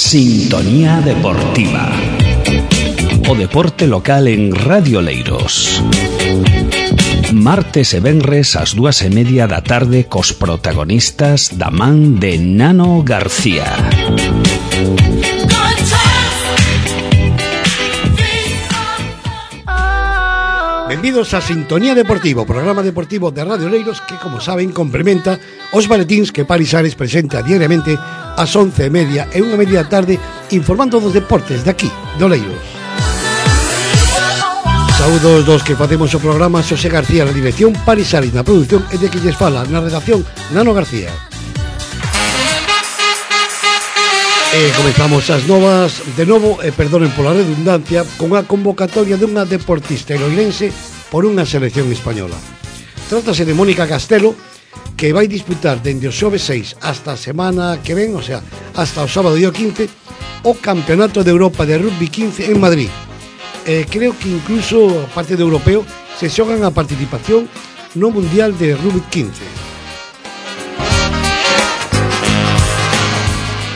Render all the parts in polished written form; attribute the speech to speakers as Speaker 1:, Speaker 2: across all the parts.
Speaker 1: Sintonía Deportiva. O deporte local en Radio Oleiros. Martes e venres ás 2:30 da tarde cos protagonistas da man de Nano García.
Speaker 2: Benvidos a Sintonía Deportivo, programa deportivo de Radio Oleiros que, como saben, complementa os baletíns que Palisares presenta diariamente ás 11:30 e 1:30 da tarde informando dos deportes de aquí, de Oleiros. Saúdos dos que facemos o programa: Xosé García na dirección, Palisares na produción e de que lles fala na redacción Nano García. Comezamos as novas de novo, perdonen pola redundancia, con a convocatoria dunha deportista eloirense por unha selección española. Trátase de Mónica Castelo, que vai disputar dende o xoves 6 hasta a semana que ven, o sea, hasta o sábado día 15, o Campeonato de Europa de Rugby 15 en Madrid. Creo que incluso, aparte de europeo, se xogan a participación no Mundial de Rugby 15.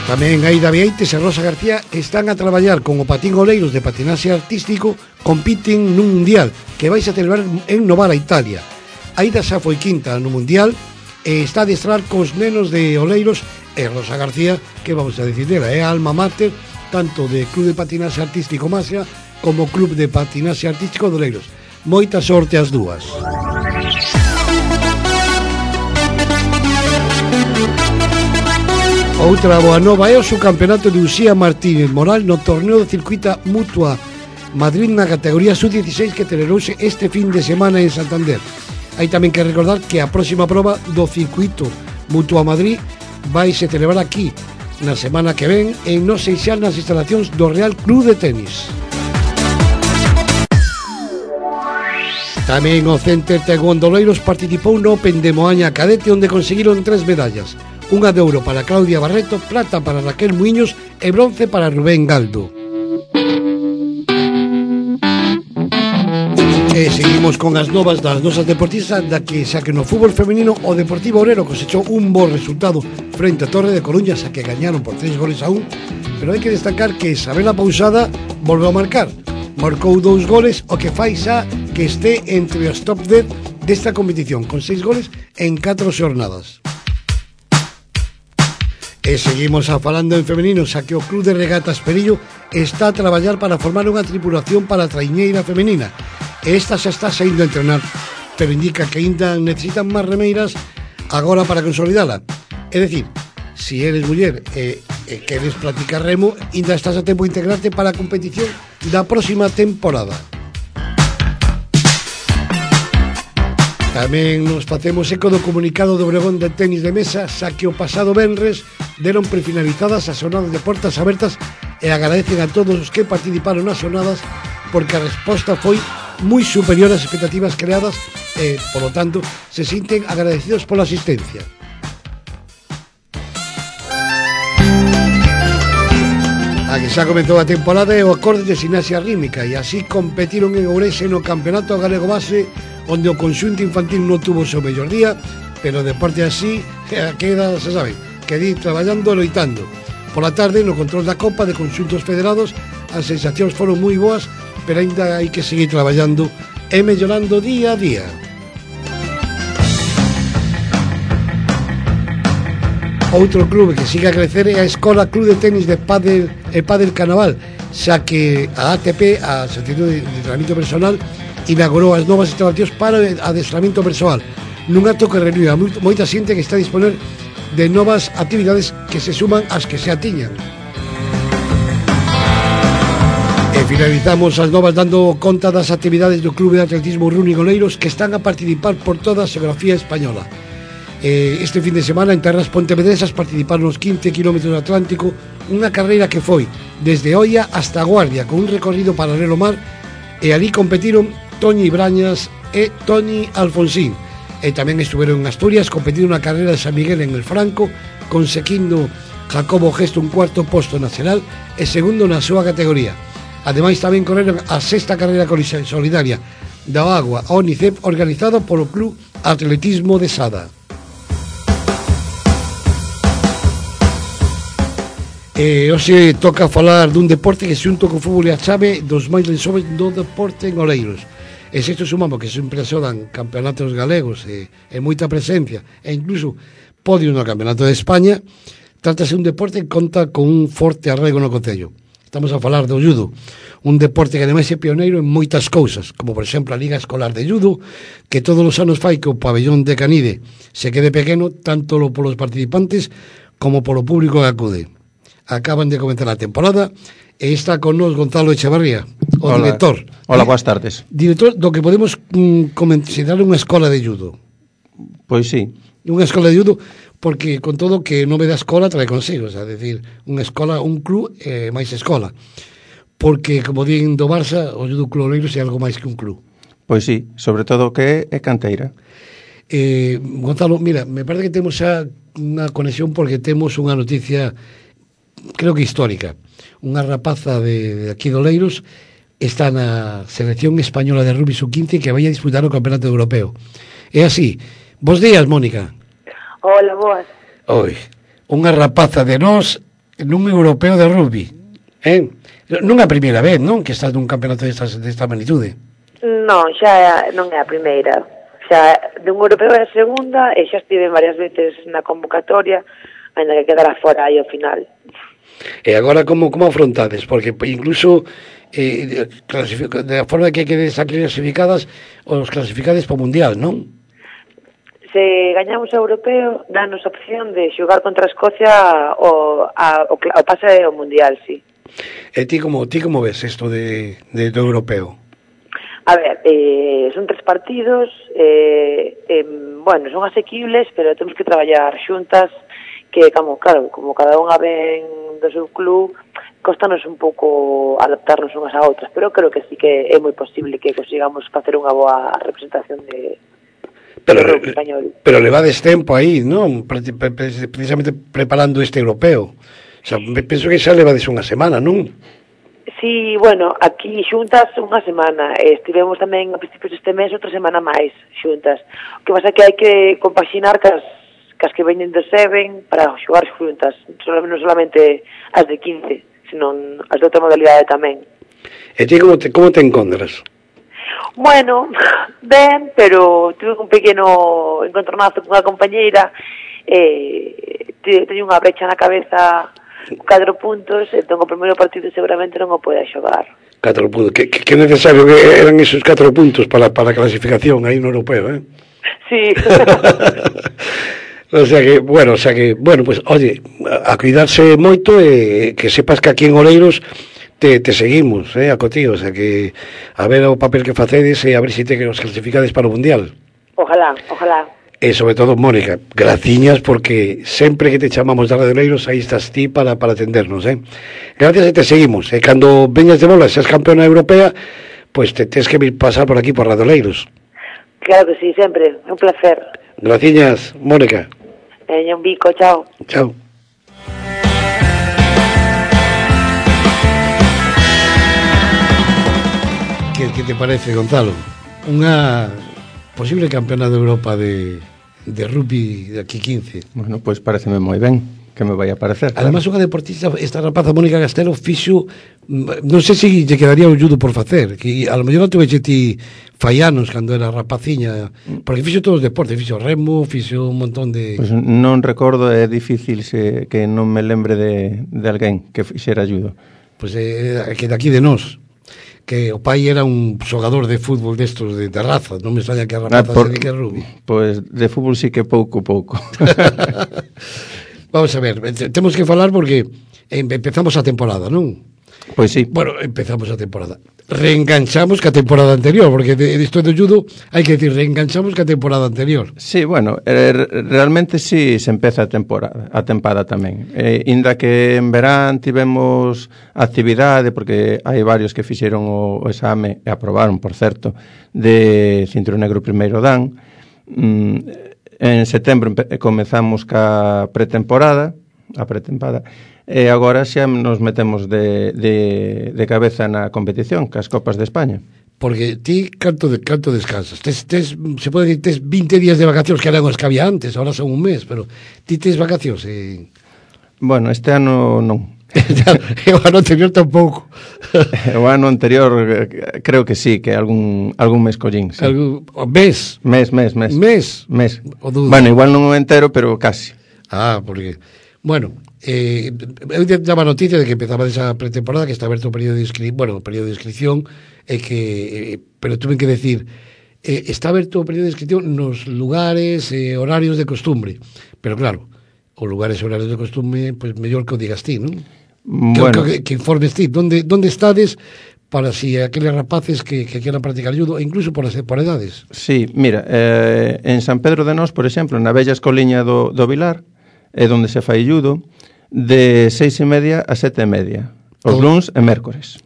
Speaker 2: Tamén Aida Vieites e Rosa García están a traballar con o Patín Oleiros de patinaxe artístico, compiten nun mundial que vais a celebrar en Novara, Italia. Aida xa foi quinta no mundial e está a adestrar cos nenos de Oleiros, e Rosa García, que vamos a decir dela, é a alma mater tanto de Club de Patinaxe Artístico Masia como Club de Patinaxe Artístico de Oleiros. Moita sorte as dúas. Outra boa nova é o subcampeonato de Uxía Martínez Moral no torneo de circuita Mutua Madrid na categoría sub-16 que celebrouse este fin de semana en Santander. Hai tamén que recordar que a próxima proba do circuito Mutua Madrid vai se celebrar aquí na semana que ven en No Seixal nas instalacións do Real Club de Tenis. Tamén o Center Taekwondo Oleiros participou no Open de Moaña Cadete, onde conseguiron 3 medallas. Unha de ouro para Claudia Barreto, plata para Raquel Muiños e bronce para Rubén Galdo. E seguimos con as novas das nosas deportistas, da que xa que no fútbol femenino o Deportivo Obrero cosechou un bo resultado frente a Torre de Coruña, xa que gañaron por 3-1, pero hai que destacar que Isabela Pousada volveu a marcar. Marcou 2 goles, o que fai xa que este entre os top 10 desta competición, con 6 goles en 4 xornadas. E seguimos falando en femenino, xa que o Club de Regatas Perillo está a traballar para formar unha tripulación para a traiñeira femenina. E esta xa está saindo a entrenar, pero indica que ainda necesitan máis remeiras agora para consolidala. É dicir, se eres muller e queres practicar remo, ainda estás a tempo de integrarte para a competición da próxima temporada. Tamén nos facemos eco do comunicado do Obregón de tenis de mesa, xa que o pasado venres deron prefinalizadas as xornadas de portas abertas e agradecen a todos os que participaron nas xornadas porque a resposta foi moi superior ás expectativas creadas e, polo tanto, se sinten agradecidos pola asistencia. A que xa comezou a temporada é o acorde de Ximnasia Rítmica e así competiron en Ourense no Campeonato Galego Base, onde o conxunto infantil non tuvo o seu mellor día, pero o deporte así queda, se sabe, que ir traballando e loitando. Pola tarde, no control da Copa de Conxuntos Federados, as sensacións foron moi boas, pero ainda hai que seguir traballando e mellorando día a día. Outro clube que sigue a crecer é a Escola Club de Tenis de Pádel e Pádel Canaval, xa que a ATP, a Asociación de Entrenamiento Personal, inaugurou as novas instalacións para o adestramento persoal, nun acto que reuniu a moita xente que está a disponer de novas actividades que se suman ás que xa tiñan. E finalizamos as novas dando conta das actividades do Clube de Atletismo Running Oleiros, que están a participar por toda a xeografía española. Este fin de semana en terras pontevedresas participaron os 15 km do Atlántico, unha carreira que foi desde Oia hasta Guardia, con un recorrido paralelo ao mar, e ali competiron Toñi Brañas e Toni Alfonsín. E tamén estuveron en Asturias competindo na carreira de San Miguel en el Franco, conseguindo Jacobo Gesto un cuarto posto nacional e segundo na súa categoría. Ademais tamén correron a sexta carreira solidaria da Agua a UNICEF, organizado polo Club Atletismo de Sada. Hoxe toca falar dun deporte que xunto co fútbol e a chave dos máis lensoves do deporte en Oleiros. E se isto sumamos que sempre se dan campeonatos galegos e moita presencia, e incluso podio no campeonato de España, trátase un deporte que conta con un forte arraigo no concello. Estamos a falar do judo, un deporte que ademais é pioneiro en moitas cousas, como por exemplo a Liga Escolar de Judo, que todos os anos fai que o pabellón de Canide se quede pequeno, tanto polos participantes como polo público que acude. Acaban de comenzar a temporada e está con nos Gonzalo Echevarría, o director.
Speaker 3: Hola, boas tardes.
Speaker 2: Director do que podemos considerar unha escola de judo.
Speaker 3: Pois sí.
Speaker 2: Unha escola de judo, porque con todo que nome da escola trae consigo, é dicir, unha escola, un club máis escola. Porque, como din do Barça, o judo Club Oleiros é algo máis que un club.
Speaker 3: Pois sí, sobre todo que é canteira.
Speaker 2: Gonzalo, mira, me parece que temos xa unha conexión porque temos unha noticia, creo que histórica. Unha rapaza de aquí de Oleiros está na selección española de rugby sub-15 que vai a disputar o campeonato europeo. É así. Bos días, Mónica.
Speaker 4: Hola, boas.
Speaker 2: Oi, unha rapaza de nós nun europeo de rugby. Non é a primeira vez, non? Que estás nun campeonato desta magnitude.
Speaker 4: Non, xa non é a primeira. Xa dun europeo é a segunda e xa estive varias veces na convocatoria, ainda que quedara fora aí ao final.
Speaker 2: E agora como afrontades? Porque incluso da forma que quedes clasificadas, os clasificades para o Mundial, non?
Speaker 4: Se gañamos o europeo, danos a opción de xogar contra Escocia o pase ao Mundial, sí.
Speaker 2: E ti como ves isto do europeo?
Speaker 4: A ver, son 3 partidos, bueno, son asequibles, pero temos que traballar xuntas, que, como cada unha ven do seu club, costanos un pouco adaptarnos unhas a outras, pero creo que sí que é moi posible que consigamos facer unha boa representación de español. Pero
Speaker 2: levades tempo aí, non? Precisamente preparando este europeo. O sea, penso que xa levades unha semana, non?
Speaker 4: Sí, bueno, aquí xuntas unha semana. Estivemos tamén a principios deste mes outra semana máis xuntas. O que pasa é que hai que compaxinar cas que veñen do Seven para xogar xuntas. Non solamente as de 15, senón as de outra modalidade tamén.
Speaker 2: E ti como te encontras?
Speaker 4: Bueno, ben, pero tuve un pequeno encontronazo con a compañeira, teño unha brecha na cabeza, 4 puntos, entón o primeiro partido seguramente non o poida xogar.
Speaker 2: 4 puntos, que necesario que eran esos 4 puntos para a clasificación aí no europeo,
Speaker 4: Sí.
Speaker 2: O sea que, pues, oye, a cuidarse moito e que sepas que aquí en Oleiros te seguimos, a cotío, o sea que a ver o papel que facedes e a ver se te os clasificades para o Mundial.
Speaker 4: Ojalá.
Speaker 2: E sobre todo, Mónica, graciñas porque sempre que te chamamos de Radio Oleiros aí estás ti para atendernos, Gracias e te seguimos. E cando veñas de bola, seas campeona europea, pues te tens que vir pasar por aquí por Radio Oleiros.
Speaker 4: Claro que sí, sempre, un placer.
Speaker 2: Graciñas, Mónica.
Speaker 4: Un bico, chao.
Speaker 2: Chao. ¿Qué te parece, Gonzalo? Unha posible campeona de Europa de rugby de aquí 15.
Speaker 3: Bueno, pois pareceme moi ben que me vai a parecer.
Speaker 2: Además, unha deportista, esta rapaza Mónica Castelo fixo, non sei se lle quedaría o judo por facer, que a lo mellor non tuveche ti fallanos cando era rapaciña, porque fixo todos os deportes, fixo remo, fixo un montón de...
Speaker 3: Pois non recordo, é difícil que non me lembre de alguén que fixera judo.
Speaker 2: Pois que de aquí de nós, que o pai era un xogador de fútbol destos de raza, non me extraña que a rapaza se dedique a rugby.
Speaker 3: Pois de fútbol sí que pouco.
Speaker 2: Vamos a ver, temos que falar porque empezamos a temporada, non?
Speaker 3: Pois sí.
Speaker 2: Bueno, empezamos a temporada. Reenganchamos ca temporada anterior, porque isto do judo hai que decir, reenganchamos ca temporada anterior.
Speaker 3: Sí, bueno, realmente sí se empeza a tempada tamén. Inda que en verán tivemos actividade, porque hai varios que fixeron o exame, e aprobaron, por certo, de cinturón negro primeiro dan. En setembro comezamos ca pretemporada, e agora xa nos metemos de cabeza na competición, cas Copas de España.
Speaker 2: Porque ti canto descansas? Se pode dicir, tes 20 días de vacacións, que eran os que había antes, ahora son un mes, pero ti tes vacacións?
Speaker 3: Bueno, este ano non.
Speaker 2: O ano anterior tampouco.
Speaker 3: O ano anterior creo que sí, que algún mes collín, sí.
Speaker 2: Mes?
Speaker 3: Mes.
Speaker 2: O dudo.
Speaker 3: Bueno, igual non o entero, pero casi.
Speaker 2: Porque... Bueno, eu daba noticia de que empezaba esa pretemporada, que está aberto o período de inscripción, pero tuve que decir, está aberto o período de inscripción nos lugares e horarios de costumbre. Pero claro, os lugares e horarios de costumbre, pues mellor que o digas ti, non?
Speaker 3: Bueno.
Speaker 2: Que informes ti, donde estades para si aqueles rapaces que quieran practicar judo, e incluso por edades.
Speaker 3: Sí, mira, en San Pedro de Nós, por exemplo, na bella escoliña do Vilar, é onde se fai judo, de 6:30 a 7:30, os luns e mércores.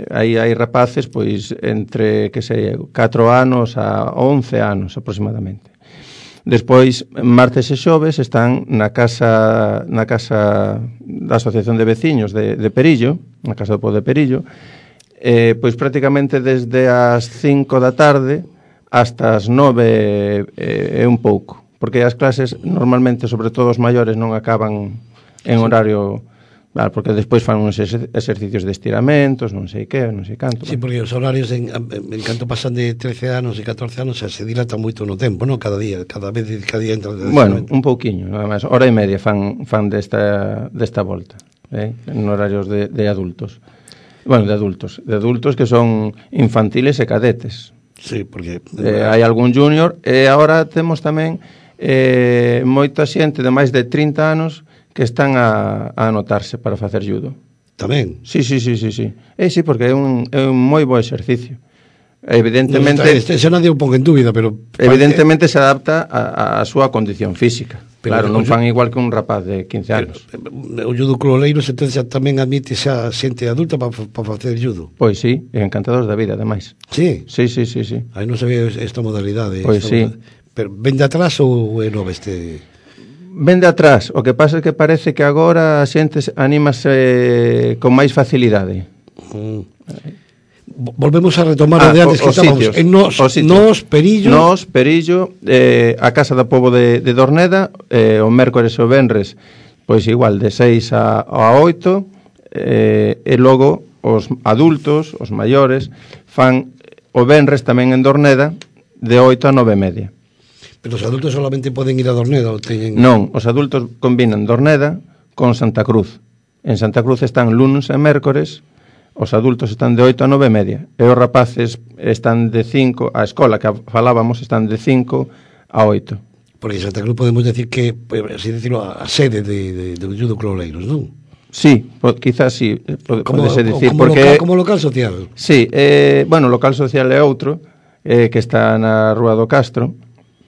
Speaker 3: Aí hai rapaces, pois, entre, que sei, 4 anos a 11 anos aproximadamente. Despois, martes e xoves están na casa da Asociación de Veciños de Perillo, na Casa do Pobo de Perillo, pois prácticamente desde as 5 da tarde hasta as 9 e un pouco, porque as clases normalmente, sobre todo os maiores, non acaban en horario... Claro, porque despois fan uns exercicios de estiramentos, non sei que, non sei canto.
Speaker 2: Sí, porque os horarios en canto pasan de 13 anos e 14 anos se dilatan moito no tempo, non? Cada día entra...
Speaker 3: Bueno, un pouquiño, nada máis, hora e media fan desta volta, en horarios de adultos. Bueno, de adultos que son infantiles e cadetes.
Speaker 2: Sí, porque...
Speaker 3: hai algún junior, e agora temos tamén moita xente de máis de 30 anos que están a anotarse para facer judo.
Speaker 2: Tamén?
Speaker 3: Sí. Sí, porque é un moi bo exercicio. Evidentemente...
Speaker 2: Xa nadie o pon en dúbida, pero...
Speaker 3: Evidentemente se adapta a súa condición física. Claro, non fan igual que un rapaz de 15 anos.
Speaker 2: O judo Cloleiros, entón, xa tamén admite xa xente adulta para facer judo?
Speaker 3: Pois sí, encantados da vida, ademais.
Speaker 2: Sí?
Speaker 3: Sí.
Speaker 2: Aí non sabía esta modalidade.
Speaker 3: Pois sí.
Speaker 2: Pero ven de atrás ou é nova este...
Speaker 3: Ven de atrás, o que pasa é que parece que agora a xente anímase con máis facilidade.
Speaker 2: Volvemos a retomar o de antes que estábamos en Nos
Speaker 3: Perillo, a Casa do Pobo de Dorneda, o mércores e o venres, pois igual de 6 a 8, e logo os adultos, os maiores, fan o venres tamén en Dorneda de 8 a 9:30.
Speaker 2: Pero os adultos solamente poden ir a Dorneda ou teñen...
Speaker 3: Non, os adultos combinan Dorneda con Santa Cruz. En Santa Cruz están lunes e mércores, os adultos están de 8 a 9:30, e os rapaces están de 5, a escola que falábamos están de 5 a 8.
Speaker 2: Porque en Santa Cruz podemos decir que, así decirlo, a sede do judo Cloleiros, non?
Speaker 3: Sí, quizás sí, podese dicir.
Speaker 2: Como local social.
Speaker 3: Sí, bueno, local social é outro, que está na Rúa do Castro,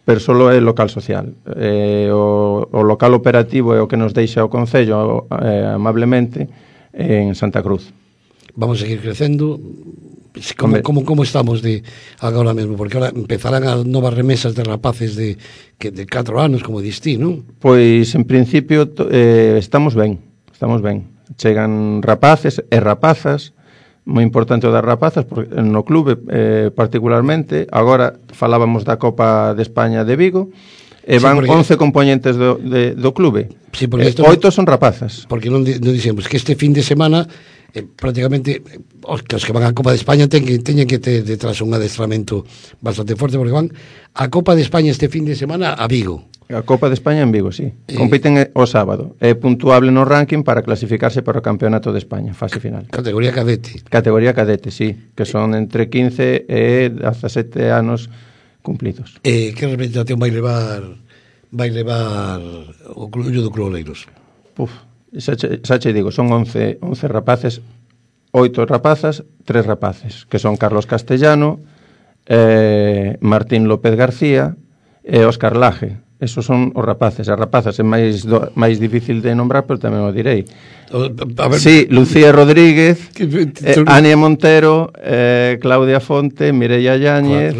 Speaker 3: pero solo é local social. O local operativo é o que nos deixa o Concello amablemente en Santa Cruz.
Speaker 2: Vamos a seguir crecendo. Como estamos de agora mesmo? Porque ahora empezarán as novas remesas de rapaces de 4 anos, como distí, non?
Speaker 3: Pois, en principio, estamos ben. Chegan rapaces e rapazas, moi importante o das rapazas, porque no clube particularmente. Agora falábamos da Copa de España de Vigo, e van 11 componentes do clube.
Speaker 2: Sí, 8
Speaker 3: son rapazas.
Speaker 2: Porque non dixemos que este fin de semana prácticamente os que van á Copa de España teñen que ter detrás un adestramento bastante forte, porque van a Copa de España este fin de semana a Vigo.
Speaker 3: A Copa de España en Vigo, sí. Compiten o sábado. É puntuable no ranking para clasificarse para o Campeonato de España, fase final.
Speaker 2: Categoría cadete.
Speaker 3: Categoría cadete, sí, que son entre 15 e 17 anos cumplidos.
Speaker 2: Que representación vai levar o judo Cloleiros?
Speaker 3: Xa che digo, son 11 rapaces, 8 rapazas, 3 rapaces, que son Carlos Castellano, Martín López García e Óscar Laje. Esos son os rapaces. As rapazas é máis difícil de nombrar, pero tamén o direi. Sí, Lucía Rodríguez, Ania Montero, Claudia Fonte, Mireia Yáñez,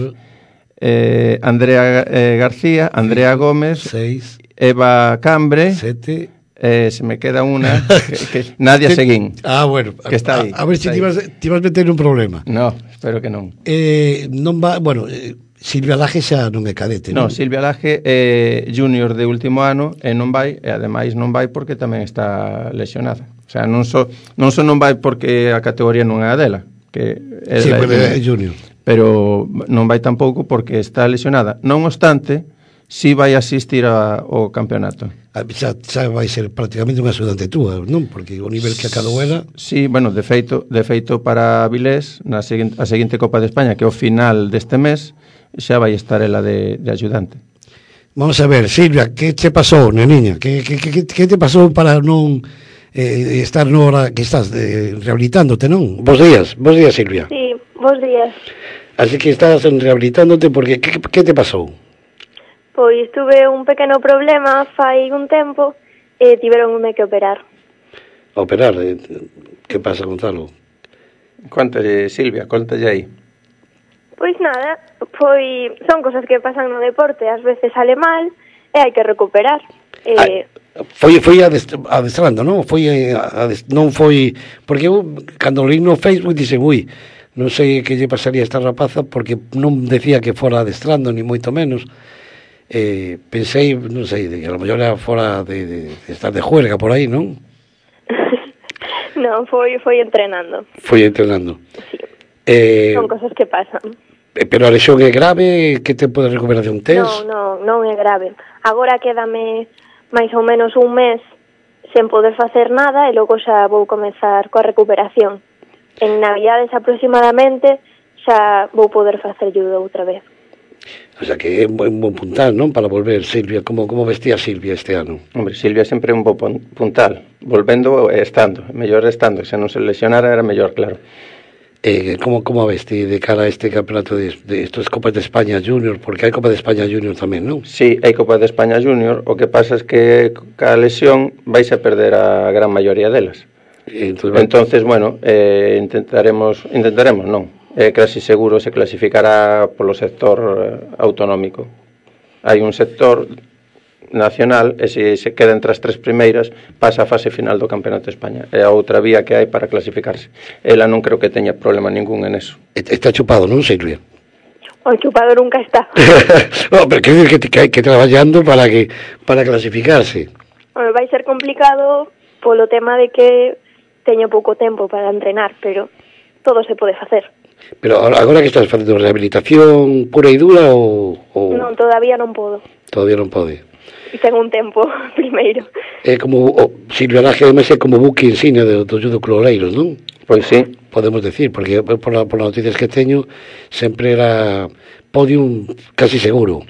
Speaker 3: Andrea García, Andrea Gómez,
Speaker 2: 6,
Speaker 3: Eva Cambre,
Speaker 2: 7,
Speaker 3: se me queda unha que Nadia Seguín.
Speaker 2: Bueno,
Speaker 3: que está aí.
Speaker 2: A ver se ti vas meter un problema.
Speaker 3: No, espero que non.
Speaker 2: Non va, bueno, Silvia Laje xa non é cadete, non?
Speaker 3: No, Silvia Laje é junior de último ano e non vai, e ademais non vai porque tamén está lesionada. O sea, non non vai porque a categoría non é a dela, que é
Speaker 2: sí, é junior.
Speaker 3: Pero non vai tampouco porque está lesionada. Non obstante, si vai asistir ao campeonato.
Speaker 2: Xa vai ser prácticamente unha axudante túa, non? Porque o nivel que acadou ela...
Speaker 3: Sí, bueno, de feito para Avilés, a seguinte Copa de España, que é o final deste mes, xa vai estar ela de axudante.
Speaker 2: Vamos a ver, Silvia, que te pasou, neniña? Que te pasou para non estar no hora que estás rehabilitándote, non? Bos días, Silvia.
Speaker 5: Sí, bos días.
Speaker 2: Así que estás rehabilitándote porque que te pasou?
Speaker 5: Pois tuve un pequeno problema fai un tempo e tiveronme que operar.
Speaker 2: Operar? Que pasa, Gonzalo?
Speaker 3: Contalle, Silvia, contalle aí.
Speaker 5: Pois nada, son cosas que pasan no deporte, ás veces sale mal e hai que recuperar.
Speaker 2: Foi adestrando, non? Non foi... Porque eu, cando leí no Facebook, dixe, non sei que lle pasaría a esta rapaza, porque non decía que fora adestrando, ni moito menos. Pensei, non sei, que a lo mellor era fora de estar de juerga por aí, non?
Speaker 5: Non, foi entrenando.
Speaker 2: Foi entrenando.
Speaker 5: Sí. Son cosas que pasan.
Speaker 2: Pero a lesión é grave? Que tempo de recuperación tes?
Speaker 5: Non é grave. Agora quédame máis ou menos un mes sen poder facer nada e logo xa vou comezar coa recuperación. En Navidades aproximadamente xa vou poder facer judo outra vez.
Speaker 2: O sea que é un bon puntal, non? Para volver, Silvia. Como vestía Silvia este ano?
Speaker 3: Hombre, Silvia sempre é un bo puntal. Volvendo e estando. Mellor estando. Se non se lesionara era mellor, claro. Como a veste de cara a este campeonato de estos Copas de España Junior? Porque hai Copa de España Junior tamén, non? Sí, hai Copa de España Junior. O que pasa é que ca lesión vais a perder a gran maioría delas. Entonces, bueno, intentaremos non. Casi seguro se clasificará polo sector autonómico. Hai un sector nacional e se queda entre as tres primeiras pasa a fase final do Campeonato de España. É a outra vía que hai para clasificarse. Ela non creo que teña problema ningún en eso.
Speaker 2: Está chupado, non, Silvia?
Speaker 5: O chupado nunca está.
Speaker 2: No, pero quer dizer que hai que traballando para clasificarse.
Speaker 5: Bueno, vai ser complicado polo tema de que teño pouco tempo para entrenar, pero todo se pode facer.
Speaker 2: Pero agora que estás facendo rehabilitación pura e dura ou...
Speaker 5: Non, todavía non podo.
Speaker 2: Todavía non pode.
Speaker 5: E ten un tempo primeiro.
Speaker 2: É como Silvia Laje, además, é como buque insignia do judo Club Oleiros, non?
Speaker 3: Pois sí.
Speaker 2: Podemos decir, porque por las noticias que teño sempre era podium casi seguro.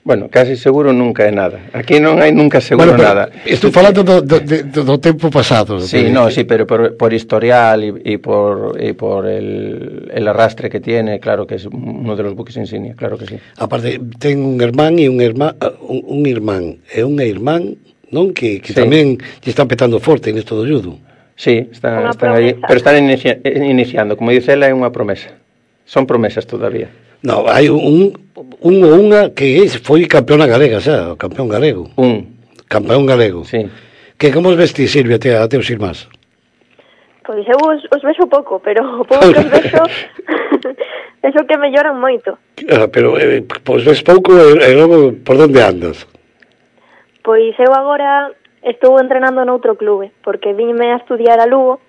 Speaker 3: Bueno, casi seguro nunca é nada. Aquí non hai nunca seguro nada.
Speaker 2: Estou falando do tempo pasado.
Speaker 3: Sí, sí, pero por historial e por el arrastre que tiene, claro que es uno de los buques insignia, claro que sí.
Speaker 2: Aparte, ten un irmán e un irmán e unha irmán, non? Que sí, tamén lle están petando forte nesto do judo.
Speaker 3: Sí, están aí, pero están iniciando. Como dice ela, é unha promesa. Son promesas todavía.
Speaker 2: No, hai unha que foi campeona galega, xa, campeón galego. Campeón galego.
Speaker 3: Sí.
Speaker 2: Que como os vestís, Silvia, a teus irmás?
Speaker 5: Pois eu os vexo pouco, pero o pouco que os vexo vexo que melloran moito.
Speaker 2: Pero pois ves pouco e logo por onde andas?
Speaker 5: Pois eu agora estou entrenando noutro clube, porque vínme a estudiar a Lugo,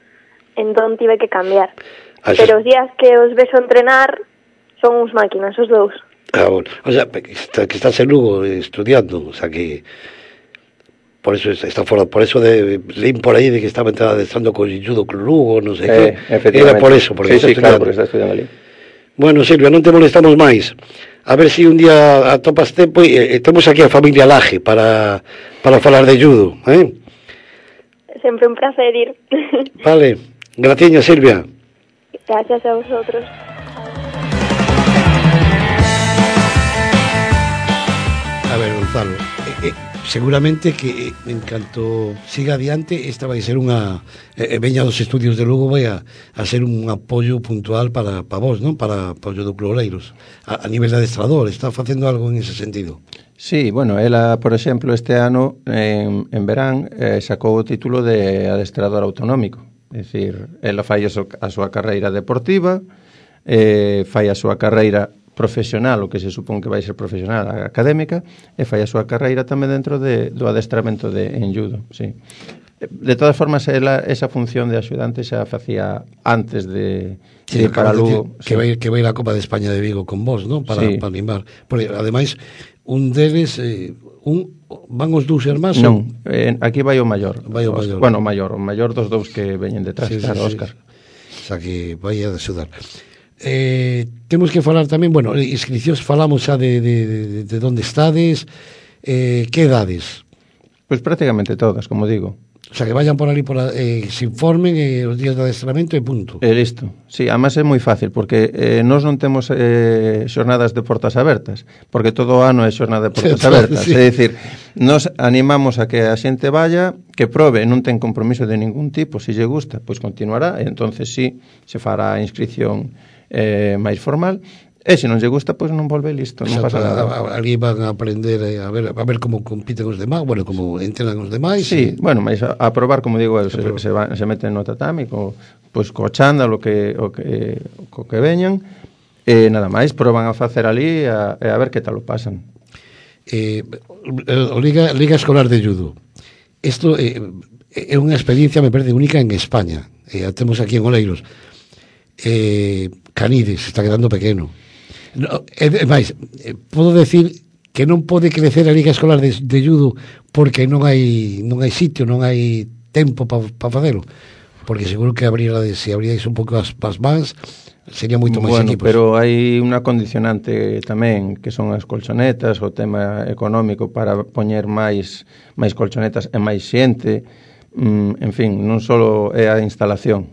Speaker 5: entón tive que cambiar. Pero os días que os vexo entrenar son uns máquinas, os dous.
Speaker 2: Bueno, o sea, que estás en Lugo estudiando, o sea que por eso está fora, por eso leí por aí de que estaba adestrando con judo con Lugo, non sei que. Era por eso, porque
Speaker 3: sí, claro, porque está estudiando ali.
Speaker 2: Bueno, Silvia, non te molestamos máis. A ver se un día atopas tempo e temos aquí a familia Laje para falar de judo,
Speaker 5: Sempre un placer ir.
Speaker 2: Vale, graciña, Silvia.
Speaker 5: Gracias a vosotros.
Speaker 2: A ver, Gonzalo, seguramente que en canto siga adiante esta vai ser unha veña dos estudios de Lugo vai a ser un apoio puntual para vos, non? Para o judo Club Oleiros a nivel de adestrador, está facendo algo en ese sentido?
Speaker 3: Sí, bueno, ela, por exemplo, este ano en verán sacou o título de adestrador autonómico. É dicir, ela fai a súa carreira deportiva, fai a súa carreira profesional, o que se supón que vai ser profesional académica, e fai a súa carreira tamén dentro do adestramento en judo, sí. De todas formas, esa función de axudante xa facía antes de ir para Lugo.
Speaker 2: Que vai a Copa de España de Vigo con vos, ¿no? Para animar. Porque, ademais, un deles... van os dous irmáns?
Speaker 3: Non, aquí vai o maior.
Speaker 2: Bueno,
Speaker 3: o maior dos dous que veñen detrás, claro, Óscar.
Speaker 2: O sea, que vai a axudar. Temos que falar tamén, bueno, inscripcións falamos xa de onde estades, que edades?
Speaker 3: Pois prácticamente todas, como digo.
Speaker 2: O sea, que vayan por ali, se informen os días de adestramento e punto.
Speaker 3: Listo. Sí, además é moi fácil, porque nós non temos xornadas de portas abertas, porque todo o ano é xornada de portas abertas. Sí. É dicir, nos animamos a que a xente vaya, que probe, non ten compromiso de ningún tipo, se lle gusta, pois continuará, e entonces sí, se fará a inscripción máis formal. E se non lle gusta, pois non volve, listo, non pasa nada.
Speaker 2: Ali van a aprender a ver como compiten os demais, bueno, como entrenan os demais.
Speaker 3: Sí, bueno, mas a probar, como digo, se meten no tatami, pois co chándalo co que veñan, e nada máis, proban a facer ali e a ver que tal o pasan.
Speaker 2: Liga Escolar de Judo. Isto é unha experiencia, me parece, única en España. A temos aquí en Oleiros. Canides, está quedando pequeno. No, podo decir que non pode crecer a Liga Escolar de Judo porque non hai sitio, non hai tempo para facelo, porque seguro que se abrirais un pouco as mans sería moito máis equipos.
Speaker 3: Pero hai unha condicionante tamén, que son as colchonetas, o tema económico para poñer máis colchonetas e máis xente, en fin, non só é a instalación.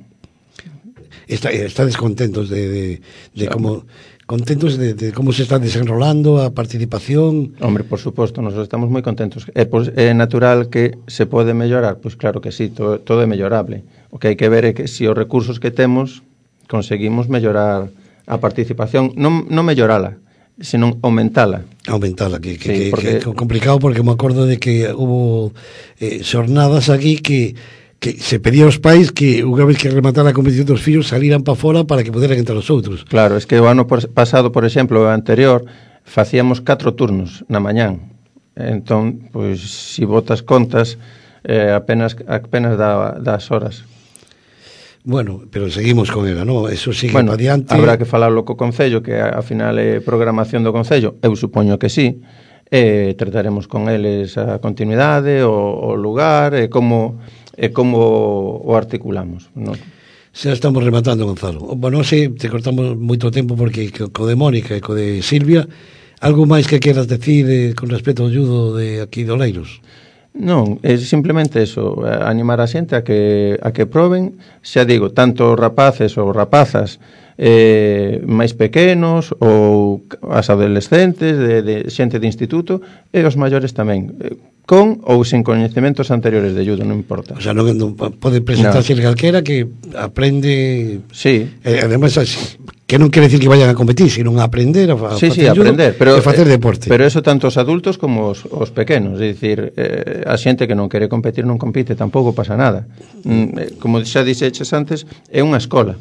Speaker 2: Estades contentos de como... Contentos de como se está desenrolando a participación?
Speaker 3: Hombre, por suposto, nos estamos moi contentos. É natural que se pode mellorar? Pois claro que sí, todo é mellorable. O que hai que ver é que se os recursos que temos conseguimos mellorar a participación, non mellorala, senón aumentala.
Speaker 2: Aumentala, que é complicado, porque me acordo de que hubo xornadas aquí que se pedía aos pais que unha vez que rematara a competición dos fillos saliran para fora para que poderan entrar os outros.
Speaker 3: Claro, es que o ano pasado, por exemplo, o anterior, facíamos 4 turnos na mañán. Entón, pois, se botas contas, apenas das horas.
Speaker 2: Bueno, pero seguimos con ela, non? Eso sigue para diante.
Speaker 3: Habrá que falarlo co Concello, que ao final é programación do Concello. Eu supoño que sí. Trataremos con eles a continuidade, o lugar, e como o articulamos, non?
Speaker 2: Xa estamos rematando, Gonzalo. Bueno, te cortamos moito tempo porque co de Mónica e co de Silvia, algo máis que queras decir con respecto ao judo de aquí de Oleiros?
Speaker 3: Non, é simplemente eso, animar a xente a que proben, xa digo, tanto rapaces ou rapazas máis pequenos ou as adolescentes de xente de instituto e os maiores tamén, con ou sin coñecementos anteriores de judo, non importa.
Speaker 2: O sea, non pode presentarse calquera que aprende.
Speaker 3: Sí.
Speaker 2: Además, que non quere decir que vayan a competir, sino a aprender a
Speaker 3: facer aprender, pero
Speaker 2: facer deporte.
Speaker 3: Pero eso tanto os adultos como os pequenos, é dicir, a xente que non quere competir non compite, tampouco pasa nada. Como xa dixeches antes, é unha escola.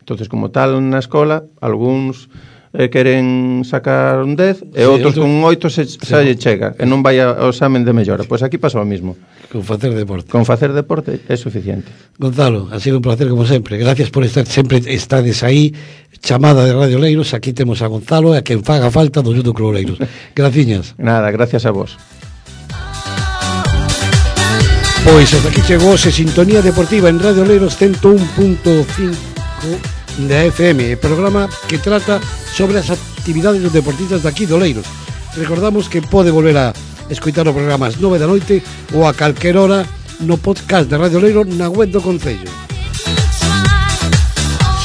Speaker 3: Entonces, como tal, na escola, algúns queren sacar un 10 e outros con un 8 xa lle chega e non vai ao examen de mellora. Pois aquí pasa o mismo.
Speaker 2: Con facer deporte.
Speaker 3: Con facer deporte é suficiente.
Speaker 2: Gonzalo, ha sido un placer como sempre. Gracias por estar sempre, estades aí, chamada de Radio Oleiros. Aquí temos a Gonzalo e a quen faga falta do Judo Club Oleiros. Graciñas.
Speaker 3: Nada, gracias a vos.
Speaker 2: Pois hasta aquí chegou se Sintonía Deportiva en Radio Oleiros 101.5 da FM, programa que trata sobre as actividades dos deportistas de aquí de Oleiros. Recordamos que pode volver a escoitar o programa ás 9 da noite ou a calquer hora no podcast de Radio Oleiros na web do Concello.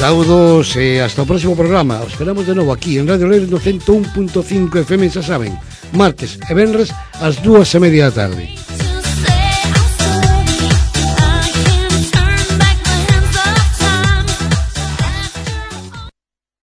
Speaker 2: Saúdos e hasta o próximo programa. Os esperamos de novo aquí en Radio Oleiros no 101.5 FM, xa saben, martes e venres ás 2:30 da tarde.